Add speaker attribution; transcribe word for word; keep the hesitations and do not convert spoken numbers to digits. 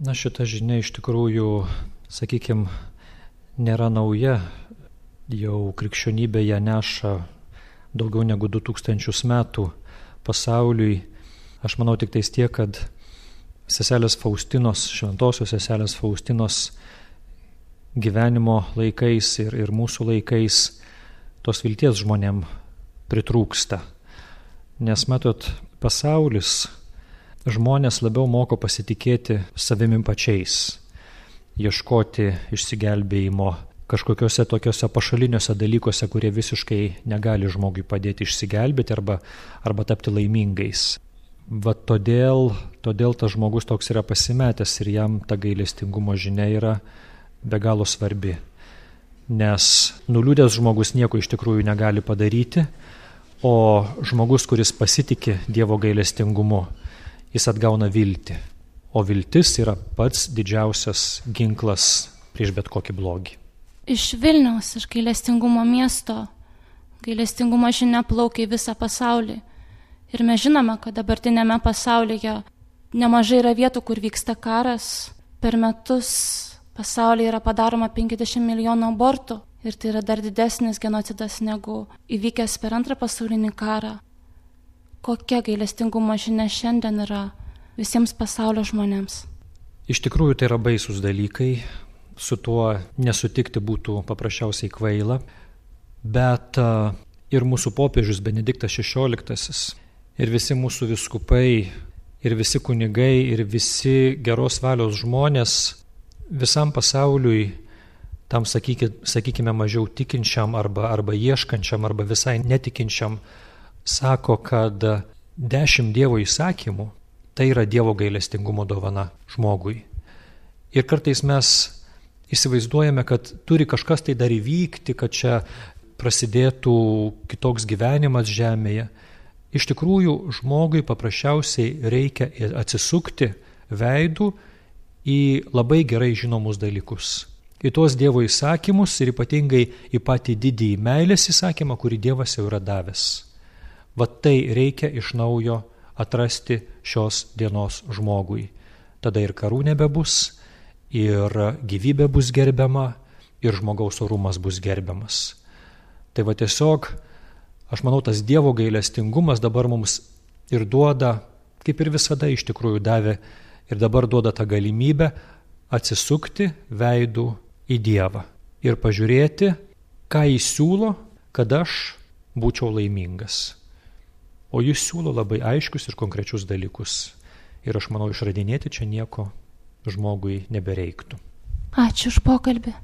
Speaker 1: Na, šita žinia iš tikrųjų, sakykime, nėra nauja. Jau krikščionybė ją neša daugiau negu du tūkstančius metų pasauliui. Aš manau tik tais tiek, kad seselės Faustinos, šventosios seselės Faustinos gyvenimo laikais ir, ir mūsų laikais tos vilties žmonėm pritrūksta. Nes, matot, pasaulis, žmonės labiau moko pasitikėti savimi pačiais, ieškoti išsigelbėjimo kažkokiuose tokiuose pašaliniuose dalykuose, kurie visiškai negali žmogui padėti išsigelbėti arba, arba tapti laimingais. Va todėl, todėl tas žmogus toks yra pasimetęs ir jam ta gailestingumo žinia yra be galo svarbi. Nes nuliūdęs žmogus nieko iš tikrųjų negali padaryti, o žmogus, kuris pasitikė Dievo gailestingumu, jis atgauna viltį. O viltis yra pats didžiausias ginklas prieš bet kokį blogį.
Speaker 2: Iš Vilniaus, iš gailestingumo miesto, gailestingumo žinia plaukia į visą pasaulį. Ir mes žinome, kad dabartinėme pasaulyje nemažai yra vietų, kur vyksta karas. Per metus pasaulyje yra padaroma penkiasdešimt milijonų abortų. Ir tai yra dar didesnis genocidas negu įvykęs per antrą pasaulinį karą. Kokia gailestingumo žinia šiandien yra visiems pasaulio žmonėms?
Speaker 1: Iš tikrųjų tai yra baisus dalykai. Su tuo nesutikti būtų paprasčiausiai kvaila. Bet ir mūsų popiežius Benediktas šešioliktasis, ir visi mūsų vyskupai, ir visi kunigai, ir visi geros valios žmonės visam pasauliui, tam sakykime, sakykime mažiau tikinčiam arba, arba ieškančiam arba visai netikinčiam, sako, kad dešimt Dievo įsakymų tai yra Dievo gailestingumo dovana žmogui. Ir kartais mes įsivaizduojame, kad turi kažkas tai dar įvykti, kad čia prasidėtų kitoks gyvenimas žemėje. Iš tikrųjų, žmogui paprasčiausiai reikia atsisukti veidų į labai gerai žinomus dalykus. Į tuos Dievo įsakymus ir ypatingai į patį didįjį meilės įsakymą, kurį Dievas jau yra davęs. Vat tai reikia iš naujo atrasti šios dienos žmogui. Tada ir karų nebebus, ir gyvybė bus gerbiama, ir žmogaus orumas bus gerbiamas. Tai va tiesiog, aš manau, tas Dievo gailestingumas dabar mums ir duoda, kaip ir visada iš tikrųjų davė, ir dabar duoda tą galimybę atsisukti veidų į Dievą ir pažiūrėti, ką Jis siūlo, kad aš būčiau laimingas. O Jis siūlo labai aiškius ir konkrečius dalykus. Ir aš manau, išradinėti čia nieko žmogui nebereiktų.
Speaker 2: Ačiū už pokalbį.